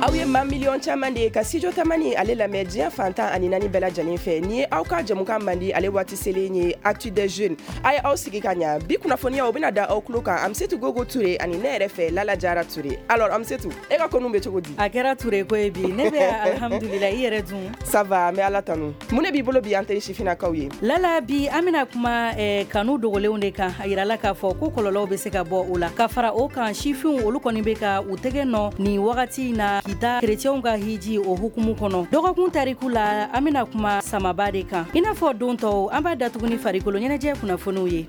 Aw ye maa miliyɔn caman de ye ka Studio Tamani ale lamɛn diɲɛ fan 14 bɛɛ lajɛlen fɛ. Ni ye aw ka jɛmukan mandi ale waati selen ye, Actu des jeunes. A ye aw sigi ka ɲa, bi kunnafoniyaw bɛna da aw tulo kan Amisetu Gogo Ture ani ne yɛrɛ fɛ Lala Jara Ture. Alors Amisetu, e ka konu bɛ cogo di? A kɛra Ture ko ye bi, ne bɛ alhamdulillah, i yɛrɛ dun? Ça va, an bɛ Ala tanu. Mun de b'i bolo bi an teri sifinnakaw ye? Lala, bi an bɛna kuma kanu dogolenw de kan. A yirala k'a fɔ ko kɔlɔlɔw bɛ se ka bɔ o la. Ka fara o kan, sifinw olu kɔni bɛ ka u tɛgɛ nɔ nin wagati in na Kita kerecɛnw ka hiji o hukumu kɔnɔ. Dɔgɔkun tariku la, an bɛna kuma samaba de kan. I n'a fɔ don tɔw, an b'a datugu ni farikolo ɲɛnajɛ kunnafoniw ye.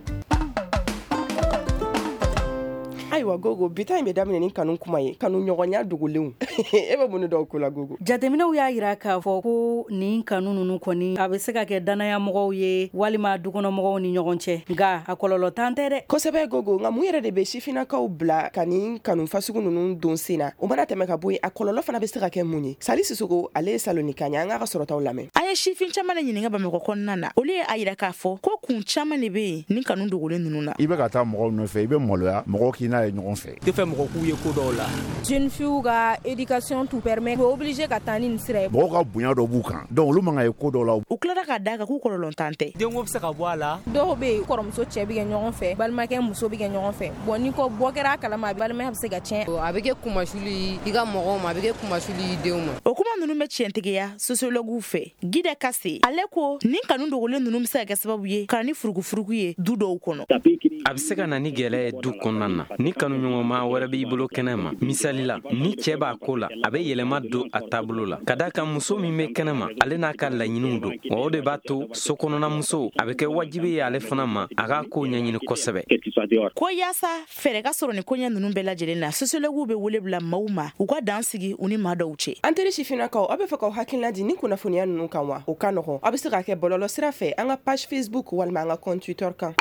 Ayiwa Gogo, bi ta in bɛ daminɛ ni kanu kuma ye, kanu ɲɔgɔnya dogolenw. E bɛ mun dɔw ko la Gogo? Jateminɛw y'a jira k'a fɔ ko nin kanu ninnu kɔni, a bɛ se ka kɛ dannayamɔgɔw ye walima dukɔnɔmɔgɔw ni ɲɔgɔn cɛ, nka a kɔlɔlɔ tan tɛ dɛ. Kosɛbɛ Gogo, nka mun yɛrɛ de bɛ sifinnakaw bila ka nin kanu fasugu ninnu don sen na? O mana tɛmɛ ka bɔ yen, a kɔlɔlɔ fana bɛ se ka kɛ mun ye? Sali Sisoko, ale ye Salonika ye, an k'a ka sɔrɔtaw lamɛn. An ye sifin caman de ɲininka Bamakɔ kɔnɔna na, olu ye a jira k'a fɔ ko kun caman de bɛ yen nin kanu dogolen ninnu na. I bɛ ka taa mɔgɔw nɔfɛ, i bɛ maloya mɔgɔw k'i n'a ye ɲɔgɔn fɛ. Tɛ fɛ mɔgɔ k'u ye ko dɔw la. Jeune fille ka éducation t'u permet, u obligé ka taa ni nin sira ye. Mɔgɔw ka bonya dɔ b'u kan, donc olu man ka ye ko dɔw la. U tilara k'a d'a kan k'u kɔlɔlɔntan tɛ. Denko bɛ se ka bɔ a la. Dɔw bɛ yen, kɔrɔmuso cɛ bɛ kɛ ɲɔgɔn fɛ, balimakɛ muso bɛ kɛ ɲɔgɔn fɛ. Bon, ni ko bɔ kɛra a kalama, balimaya bɛ se ka tiɲɛ. A bɛ kɛ kumasuli i ka mɔgɔw ma, a bɛ kɛ kumasuli i denw ma. O kuma ninnu bɛ tiɲɛtigiya sociologues fɛ. Gida Kase, ale ko nin kanu dogolen ninnu bɛ se ka kɛ sababu ye ka na ni furukufuruku ye du dɔw kɔnɔ. A bɛ se ka na ni gɛlɛya ye du kɔnɔna na ni kanuɲɔgɔnma wɛrɛ b'i bolo kɛnɛ ma. Misali la, ni cɛ b'a ko la, a bɛ yɛlɛma don a taabolo la ka d'a kan muso min bɛ kɛnɛ ma, ale n'a ka laɲiniw don. Wa o de b'a to so kɔnɔna a bɛ kɛ wajibi ye ale fana ma a k'a ko ɲɛɲini kosɛbɛ. Ko yaasa fɛɛrɛ ka sɔrɔ ni koɲɛ ninnu bɛɛ lajɛlen na, sociologues bɛ wele bila maaw ma u ka dan sigi u ni maa dɔw cɛ. An teri sifinnakaw, aw bɛ fɛ k'aw hakilina di ni kunnafoniya ninnu kan wa? O ka nɔgɔn, aw bɛ se k'a kɛ bɔlɔlɔ sira fɛ, an ka page Facebook walima an ka compte Twitter kan.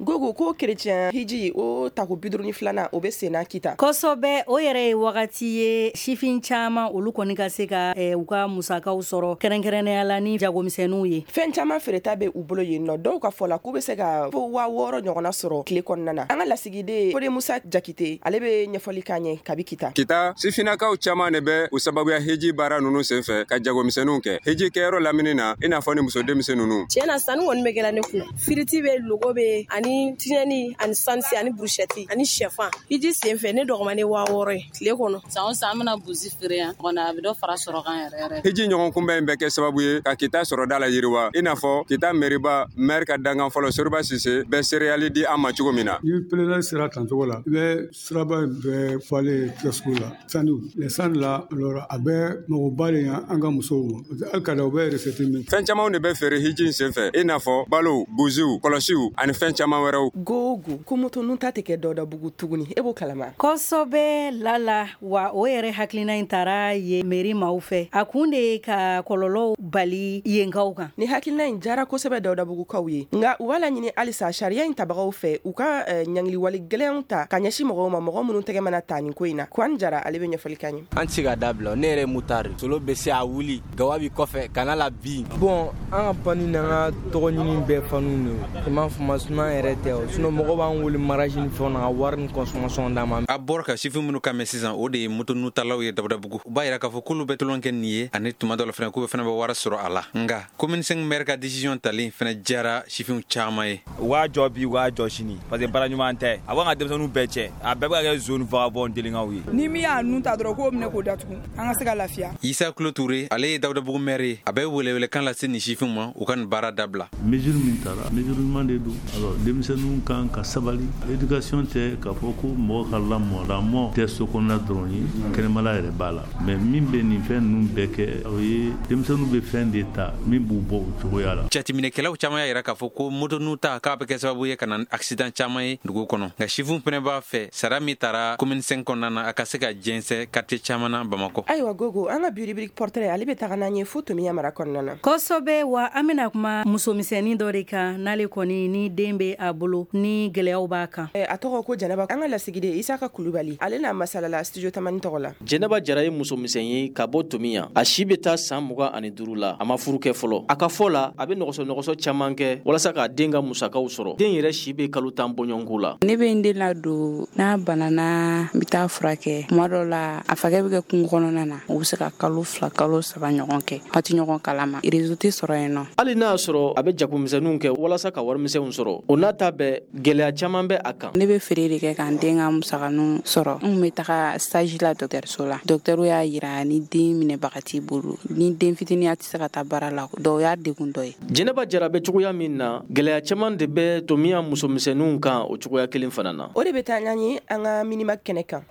Gogo, ko kerecɛn hiji o tako 52nan, o bɛ senna Kita. Kosɛbɛ, o yɛrɛ ye wagati ye sifin caman olu kɔni ka se ka u ka musakaw sɔrɔ, kɛrɛnkɛrɛnnenya la ni jagomisɛnninw ye. Fɛn caman feereta bɛ u bolo yen nɔ. Dɔw ka fɔ la k'u bɛ se ka fo 6000 ɲɔgɔnna sɔrɔ tile kɔnɔna na. An ka lasigiden Fode Musa Jakite, ale bɛ ɲɛfɔli k'an ye kabi Kita. Kita, sifinnakaw caman de bɛ u sababuya hiji baara ninnu senfɛ ka jagomisɛnninw kɛ hiji kɛyɔrɔ lamini na, i n'a fɔ ni muso denmisɛn ninnu. Tiɲɛ na, sanni kɔni bɛ kɛla ne kunna. Firiti bɛ, logo bɛ, ani tiɲɛni, ani sansi, ani burushɛti, ani shɛfan. Hiji senfɛ, ne dɔgɔmanen 6000 ye tile kɔnɔ. San o san an bɛna busi feere yan kɔnɔ, a bɛ dɔ fara sɔrɔ kan yɛrɛ yɛrɛ. Hiji ɲɔgɔn kunbɛn in bɛ kɛ sababu ye ka Kita sɔrɔda la yiriwa, i n'a fɔ Kita meriba maire ka dankan fɔlɔ Soriba Sise bɛ seereyali di an ma cogo min na. Ni pèlerin sera tancogo la, i bɛ siraba in bɛɛ falen kiosque la sanu les sanu la. Alors a bɛ magoba de ɲa an ka musow ma, parce que hali ka da u bɛ recette min. Fɛn camanw de bɛ feere hiji in senfɛ, i n'a fɔ balow, buziw, kɔlɔsiw ani fɛn caman wɛrɛw. Gogo, ko moto nun ta tɛ kɛ Dawudabugu tuguni, e b'o kalama? Kosɛbɛ Lala, wa o yɛrɛ hakilina in taara ye mairie maaw fɛ. A kun de ye ka kɔlɔlɔw bali yenkaw kan. Ni hakilina in jara kosɛbɛ Dawudabugukaw ye, nka u b'a laɲini halisa sariya in tabagaw fɛ, u ka ɲangiliwale gɛlɛnw ta ka ɲɛsin mɔgɔw ma, mɔgɔ minnu tɛgɛ mana ta nin ko in na. Kuwan Jara, ale bɛ ɲɛfɔli k'an ye. An tɛ se ka dabila. Ne yɛrɛ ye motard, solo bɛ se a wuli, gawa bi kɔfɛ kana la bin. Bon, an ka panni n'an ka tɔgɔ ɲini bɛɛ fanu de, i m'a faamu? Sinon an yɛrɛ tɛ o, sinon mɔgɔw b'an wele mariage ni fɛnw na ka wari ni consommation d'an ma. A bɔra ka sifin minnu kan mɛn sisan, o de ye moto nutalaw ye Dabudabugu. U b'a yira k'a fɔ k'olu bɛ tulon kɛ nin ye, ani tuma dɔ la fɛnɛ k'u bɛ fɛnɛ bɛ wari sɔrɔ a la. Nka commune 5 maire ka décision talen fɛnɛ diyara sifinw caman ye. U k'a jɔ bi, u k'a jɔ sini, parce que baara ɲuman tɛ. A b'an ka denmisɛnninw bɛɛ cɛ, a bɛɛ bɛ ka kɛ zone vagabond délinquants ye. Ni min y'a nun ta dɔrɔn, k'o minɛ k'o datugu, an ka se ka lafiya. Isa Kulo Ture, ale ye Dawudabugu maire ye, a bɛ welewelekan lase nin sifinw ma u ka nin baara dabila. Mesure min tara, mesure ɲuman de don. Alors denmisɛnninw kan ka sabali. Éducation tɛ k'a fɔ ko mɔgɔ ka lamɔ, lamɔ tɛ so kɔnɔna dɔrɔn ye, kɛnɛmala yɛrɛ b'a la. Mais min bɛ nin fɛn ninnu bɛɛ kɛ, o ye denmisɛnninw bɛ fɛn de ta min b'u bɔ o cogoya la. Jateminɛkɛlaw caman y'a yira k'a fɔ ko moto nu ta k'a bɛ kɛ sababu ye ka na accident caman ye dugu kɔnɔ. Nka sifinw fɛnɛ b'a fɛ sara min tara commune 5 kɔnɔna na, a ka se ka jɛnsɛn quartier caman na Bamakɔ. Ayiwa Gogo, an ka bi rubrique portrait, ale bɛ taga n'an ye fo Tomiya mara kɔnɔna na. Kosɛbɛ, wa an bɛna kuma musomisɛnnin dɔ de kan, n'ale kɔni ni den bɛ a a bolo ni gɛlɛyaw b'a kan. A tɔgɔ ko Jɛnɛba. An ka lasigiden Isaka Kulubali, ale n'a masalala studio Tamani tɔgɔ la. Jɛnɛba Jara ye musomisɛn ye ka bɔ Tomiya. A si bɛ taa san 25 la. A ma furu kɛ fɔlɔ. A ka fɔ la, a bɛ nɔgɔsɔ caman kɛ walasa k'a den ka musakaw sɔrɔ. Den yɛrɛ si bɛ kalo 10 bɔɲɔgɔnko la. Ne bɛ n den ladon, n'a banana n bɛ taa furakɛ. Tuma dɔ la a fakɛ bɛ kɛ kungo kɔnɔna na, u bɛ se ka kalo 2 kalo 3 ɲɔgɔn kɛ, a tɛ ɲɔgɔn kalama, réseau tɛ sɔrɔ yen nɔ. Hali n'a y'a sɔrɔ a bɛ jagomisɛnninw kɛ walasa ka warimisɛnw sɔrɔ, o n'a ta bɛɛ gɛlɛya caman bɛ a kan. Ne bɛ feere de kɛ k'an den ka musakaninw sɔrɔ. N kun bɛ taga stage la dɔgɔtɔrɔso la. Dɔgɔtɔrɔ y'a yira ni den minɛbaga t'i bolo, ni den fitinin a tɛ se ka taa baara la, dɔw y'a degun dɔ ye. Jɛnɛba Jara bɛ cogoya min na, gɛlɛya caman de bɛ Tomiya musomisɛnninw kan o cogoya kelen fana na. O de bɛ taa n'an ye an ka minima kɛnɛ kan.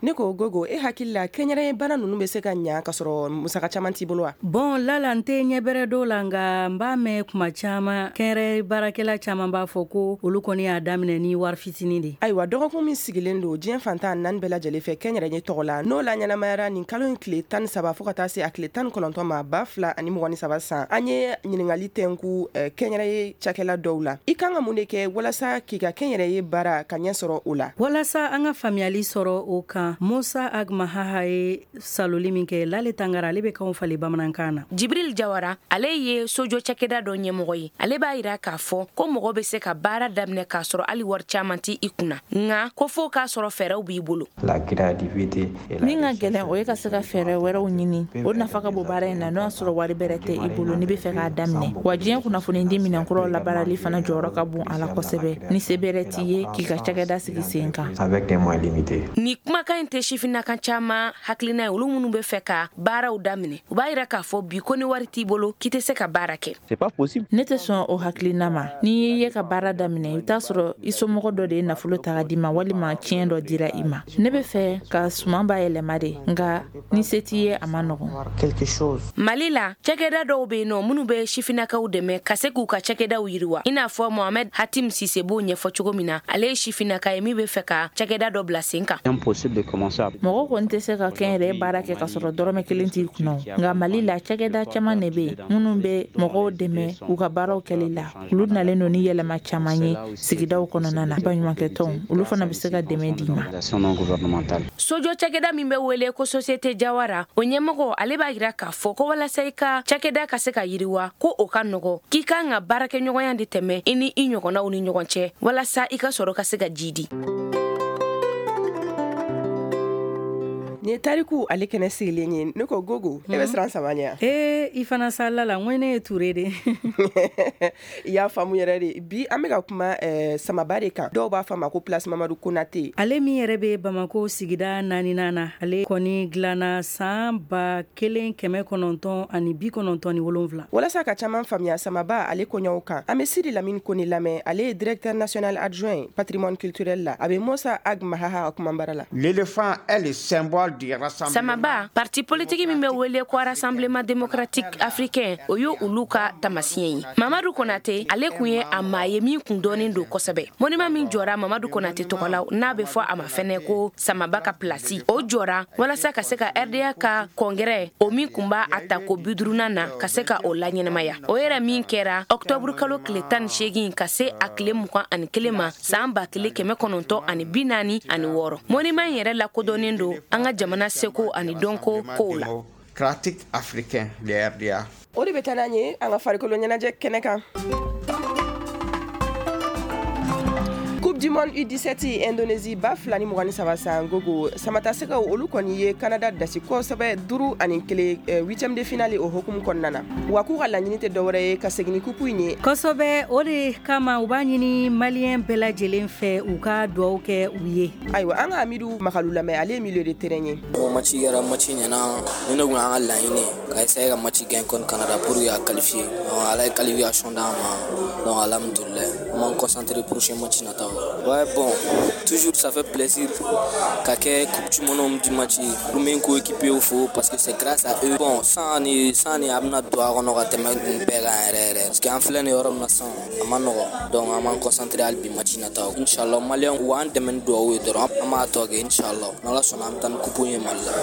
Ne ko Gogo, e hakili la kɛnyɛrɛye baara ninnu bɛ se ka ɲa ka sɔrɔ musaka caman t'i bolo wa? Bon lala n tɛ ɲɛbɛrɛ dɔw la, nka n b'a mɛn kuma caman kɛnyɛrɛye baarakɛla caman b'a fɔ ko olu kɔni y'a daminɛ ni wari fitinin de. Ayiwa, dɔgɔkun min sigilen don diɲɛ fantan naani bɛɛ lajɛlen fɛ kɛnyɛrɛye tɔgɔ la, n'o la ɲɛnamayara nin kalo in tile 13 fo ka taa se a tile 19 ma 2023 san, an ye ɲininkali tɛnku kɛnyɛrɛye cakɛla dɔw la. I kan ka mun de kɛ walasa k'i ka kɛnyɛrɛye baara ka ɲɛ sɔrɔ o la? Walasa an ka faamuyali sɔrɔ o kan, Musa Agmahaha ye saloli min kɛ Lale Tangara, ale bɛ kanw falen bamanankan na. Jibril Jawara, ale ye sojɔ cakɛda dɔ ɲɛmɔgɔ ye. Ale b'a yira k'a fɔ ko mɔgɔ bɛ se ka baara daminɛ k'a sɔrɔ hali wari caman tɛ i kunna, nka ko fo k'a sɔrɔ fɛɛrɛw b'i bolo. Min ka gɛlɛn, o ye ka se ka fɛɛrɛ wɛrɛw ɲini. O nafa ka bon baara in na, n'o y'a sɔrɔ wari bɛrɛ tɛ i bolo n'i bɛ fɛ k'a daminɛ. Wa diɲɛ kunnafonidi minɛnkuraw labaarali fana jɔyɔrɔ ka bon a la kosɛbɛ, ni se bɛrɛ t'i ye k'i ka cakɛda sigi sen kan. Ni kumakan in tɛ sifinnakan caman hakilina ye, olu minnu bɛ fɛ ka baaraw daminɛ, u b'a yira k'a fɔ bi ko ni wari t'i bolo k'i tɛ se ka baara kɛ. Ne tɛ sɔn o hakilina ma. N'i y'i ye ka baara daminɛ, i bɛ t'a sɔrɔ i somɔgɔ dɔ de ye nafolo ta ka d'i ma, walima tiɲɛ dɔ dira i ma. Ne bɛ fɛ ka suman bayɛlɛma de, nka ni se t'i ye a ma nɔgɔn. Mali la, cakɛda dɔw bɛ yen nɔ minnu bɛ sifinnakaw dɛmɛ ka se k'u ka cakɛdaw yiriwa, i n'a fɔ Mohamed Hatim Sise b'o ɲɛfɔ cogo min na. Ale ye sifinnaka ye min bɛ fɛ ka cakɛda dɔ bila sen kan. Mɔgɔ kɔni tɛ se ka kɛnyɛrɛye baara kɛ ka sɔrɔ dɔrɔmɛ kelen t'i kunna. Nka Mali la, cakɛda caman de bɛ yen minnu bɛ mɔgɔw dɛmɛ u ka baaraw kɛli la. Olu nalen don ni yɛlɛma caman ye sigidaw kɔnɔna na. Baɲumankɛtɔnw, olu fana bɛ se ka dɛmɛ d'i ma. Sojɔ cakɛda min bɛ wele ko Société Jawara, o ɲɛmɔgɔ ale b'a yira k'a fɔ ko walasa i ka cakɛda ka se ka yiriwa, ko o ka nɔgɔ, k'i kan ka baarakɛɲɔgɔnya de tɛmɛ i ni i ɲɔgɔnnaw ni ɲɔgɔn cɛ walasa i ka sɔrɔ ka se ka jidi. Nin ye tariku ale kɛnɛ sigilen ye. Ne ko Gogo, e bɛ siran sama ɲɛ? Ee, i fana salila la, n ko ne ye Ture de. I y'a faamu yɛrɛ de. Bi an bɛ ka kuma samaba de kan. Dɔw b'a fɔ a ma ko Place Mamadu Konate. Ale min yɛrɛ bɛ Bamako sigida 4nan na, ale kɔni dilanna san 1997. Walasa ka caman faamuya samaba ale koɲɛw kan, an bɛ Sidi Lamini Kone lamɛn. Ale ye directeur national adjoint patrimoine culturel la. A bɛ Musa Agmahaha kumabara la. L'éléphant est le symbole. Samaba, parti politique min bɛ wele ko Rassemblement démocratique africain, o ye olu ka taamasiyɛn ye. Mamadu Konate, ale kun ye a maa ye min kun dɔnnen don kosɛbɛ. Monument min jɔra Mamadu Konate tɔgɔ la, n'a bɛ fɔ a ma fɛnɛ ko Samaba ka place, o jɔra walasa ka se ka RDA ka congrès, o min kun b'a a ta ko 50nan na, ka se ka o laɲɛnamaya. O yɛrɛ min kɛra octobre kalo tile 18 ka se a tile 21 ma san 1946. Monument in yɛrɛ lakodɔnnen don an ka jamana seko ani dɔnko kow la. Démocratique africain, le RDA. O de bɛ taa n'an ye an ka farikolo ɲɛnajɛ kɛnɛ kan. Coupe du monde U17 Indonésie 2023 san, Gogo, samatasɛgɛw olu kɔni ye Canada dasi kosɛbɛ 5-1 huitième de finale o hukumu kɔnɔna na. Wa k'u ka laɲini tɛ dɔwɛrɛ ye ka segin ni coupe in ye. Kosɛbɛ, o de kama u b'a ɲini maliyɛn bɛɛ lajɛlen fɛ u ka dugawu kɛ u ye. Ayiwa, an ka Amidu Makalu lamɛn, ale ye milieu de terrain ye. Bon, match kɛra match ɲɛna. Ni ne kun y'an ka laɲini ka essayer ka match gagner contre Canada pour que ka qualifier. Ala ye qualification d'an ma, donc alhamdoulilah, an b'an concentrer prochain match nataw. Ouais, bon, toujours ça fait plaisir ka kɛ coupe du monde du match. N bɛ n coéquipier fo parce que c'est grâce à eux. Bon, san ni san ni a bɛna don a kɔnɔ ka tɛmɛ nin bɛɛ kan yɛrɛ yɛrɛ, parce que an filɛ nin yɔrɔ min na sisan, a ma nɔgɔn. Donc an b'an concentrer hali bi match nataw, inchallah. Maliyɛnw, u b'an dɛmɛ ni dugawu ye dɔrɔn, an b'a tɔ kɛ, inchallah. N'Ala sɔnna, an bɛ taa ni coupe ye Mali la.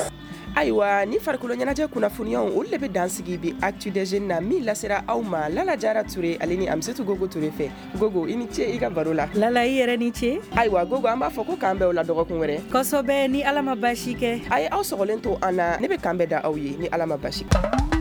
Ayiwa, ni farikolo ɲɛnajɛ kunnafoniyaw, olu de bɛ dan sigi bi Actu des Jeunes na, min lasera aw ma Lala Jara Ture ale ni Amisetu Gogo Ture fɛ. Gogo, i ni ce i ka baro la. Lala, i yɛrɛ ni ce. Ayiwa Gogo, an b'a fɔ ko k'an bɛn o la dɔgɔkun wɛrɛ. Kosɛbɛ, ni Ala ma basi kɛ. A ye aw sɔgɔlen to an na, ne bɛ kan bɛɛ da aw ye ni Ala ma basi kɛ.